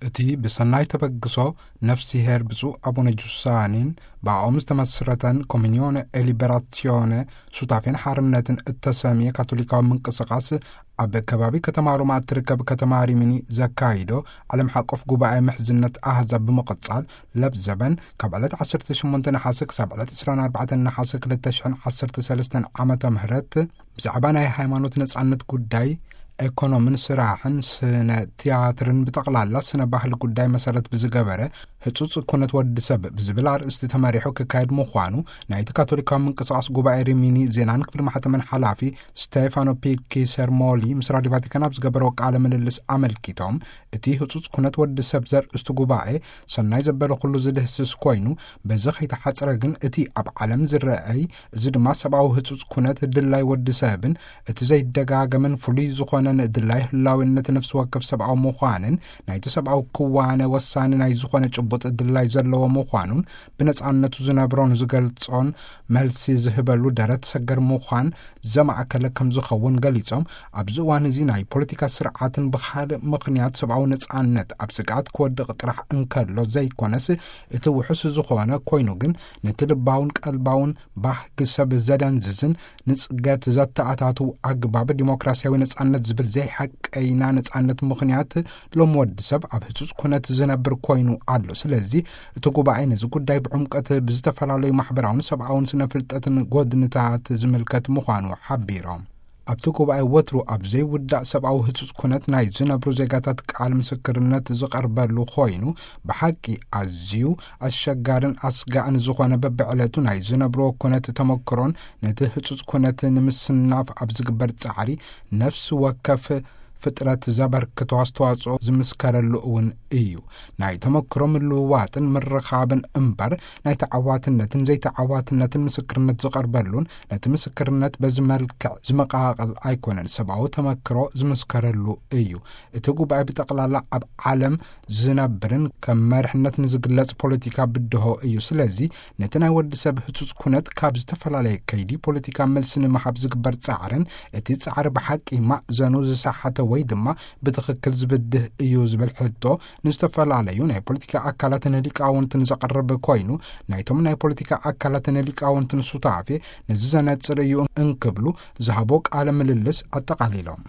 እቲ ብሰናይ ተበግሶ ነፍሲሄር ብፁዕ ኣቡነ ጁሳኒን ብኣኦም ዝተመስረተን ኮሚኒዮነ ኤሊበራሲዮነ ሱታፌን ሓርነትን እተሰምየ ካቶሊካዊ ምንቅስቓስ፣ ኣብ ከባቢ ከተማ ሮማ እትርከብ ከተማ ሪሚኒ ዘካይዶ ዓለም ሓቆፍ ጉባኤ ምሕዝነት ኣህዛብ ብምቕጻል፣ ለብዘበን ካብ ዕለት ዓሰርተ ሸሞንተ ነሓሰ ክሳብ ዕለት ዕስራን ኣርባዕተን ነሓሰ ክልተ ሽሕን ዓሰርተ ሰለስተን ዓመተ ምህረት፣ ብዛዕባ ናይ ሃይማኖት ነጻነት ጉዳይ፣ ኤኮኖምን ስራሕን፣ ስነ ትያትርን፣ ብጠቕላላ ስነ ባህል ጉዳይ መሰረት ብዝገበረ ህጹጽ ኩነት ወዲ ሰብ ብዝብል ኣርእስቲ ተመሪሑ ክካየድ ምዃኑ ናይቲ ካቶሊካዊ ምንቅስቓስ ጉባኤ ሪሚኒ ዜናን ክፍሊ ማሕተምን ሓላፊ ስቴፋኖ ፒኪ ሰርሞሊ ምስ ራዲዮ ቫቲካን ኣብ ዝገበረዎ ቃለ ምልልስ ኣመልኪቶም፣ እቲ ህጹጽ ኩነት ወዲ ሰብ ዘርእስቱ ጉባኤ ሰናይ ዘበለ ኩሉ ዝድህስስ ኮይኑ፣ በዚ ከይተሓጽረ ግን እቲ ኣብ ዓለም ዝረኣይ፣ እዚ ድማ ሰብኣዊ ህጹጽ ኩነት ድላይ ወዲ ሰብን እቲ ዘይደጋገምን ፍሉይ ዝኾነን ድላይ ህላዊነት ነፍሲ ወከፍ ሰብኣዊ ምዃንን ናይቲ ሰብኣዊ ክዋነ ወሳኒ ናይ ዝኾነ ጭቡጥ ድላይ ዘለዎ ምዃኑን ብነጻነቱ ዝነብሮን ዝገልጾን መልሲ ዝህበሉ ደረት ሰገር ምዃን ዘማእከለ ከም ዝኸውን ገሊጾም፣ ኣብዚ እዋን እዚ ናይ ፖለቲካ ስርዓትን ብኻልእ ምኽንያት ሰብኣዊ ነጻነት ኣብ ስግኣት ክወድቕ ጥራሕ እንከሎ ዘይኮነስ፣ እቲ ውሑስ ዝኾነ ኮይኑ ግን ነቲ ልባውን ቀልባውን ባህጊ ሰብ ዘደንዝዝን ንጽገት ዘተኣታትው ኣግባብ ዲሞክራሲያዊ ነጻነት ዝብል ዘይሓቀይና ነጻነት ምኽንያት ሎም ወዲ ሰብ ኣብ ህጹጽ ኩነት ዝነብር ኮይኑ ኣሎ። ስለዚ እቲ ጉባኤ ነዚ ጉዳይ ብዕምቀት ብዝተፈላለዩ ማሕበራውን ሰብኣውን ስነ ፍልጠትን ጎድንታት ዝምልከት ምዃኑ ሓቢሮም። ኣብቲ ጉባኤ ወትሩ ኣብ ዘይውዳእ ሰብኣዊ ህጹጽ ኩነት ናይ ዝነብሩ ዜጋታት ቃል ምስክርነት ዝቐርበሉ ኮይኑ፣ ብሓቂ ኣዝዩ ኣሸጋርን ኣስጋእን ዝኾነ በብዕለቱ ናይ ዝነብርዎ ኩነት ተመክሮን ነቲ ህጹጽ ኩነት ንምስናፍ ኣብ ዝግበር ጻዕሪ ነፍሲ ወከፍ ፍጥረት ዘበርክቶ ኣስተዋጽኦ ዝምስከረሉ እውን እዩ። ናይ ተመክሮ ምልውዋጥን ምርኻብን እምበር፣ ናይ ተዓዋትነትን ዘይተዓዋትነትን ምስክርነት ዝቐርበሉን ነቲ ምስክርነት በዚ መልክዕ ዝመቓቐል ኣይኮነን። ሰብኣዊ ተመክሮ ዝምስከረሉ እዩ። እቲ ጉባኤ ብጠቕላላ ኣብ ዓለም ዝነብርን ከም መርሕነት ንዝግለጽ ፖለቲካ ብድሆ እዩ። ስለዚ ነቲ ናይ ወዲ ሰብ ህጹጽ ኩነት ካብ ዝተፈላለየ ከይዲ ፖለቲካ መልሲ ንምሃብ ዝግበር ጻዕርን፣ እቲ ጻዕሪ ብሓቂ ማእዘኑ ዝሰሓተ ወይ ድማ ብትኽክል ዝብድህ እዩ ዝብል ሕቶ ንዝተፈላለዩ ናይ ፖለቲካ ኣካላትን ሊቃውንትን ዘቕርብ ኮይኑ፣ ናይቶም ናይ ፖለቲካ ኣካላትን ሊቃውንትን ሱታፌ ነዚ ዘነጽር እዩ እንክብሉ ዝሃቦ ቃለ ምልልስ ኣጠቓሊሎም።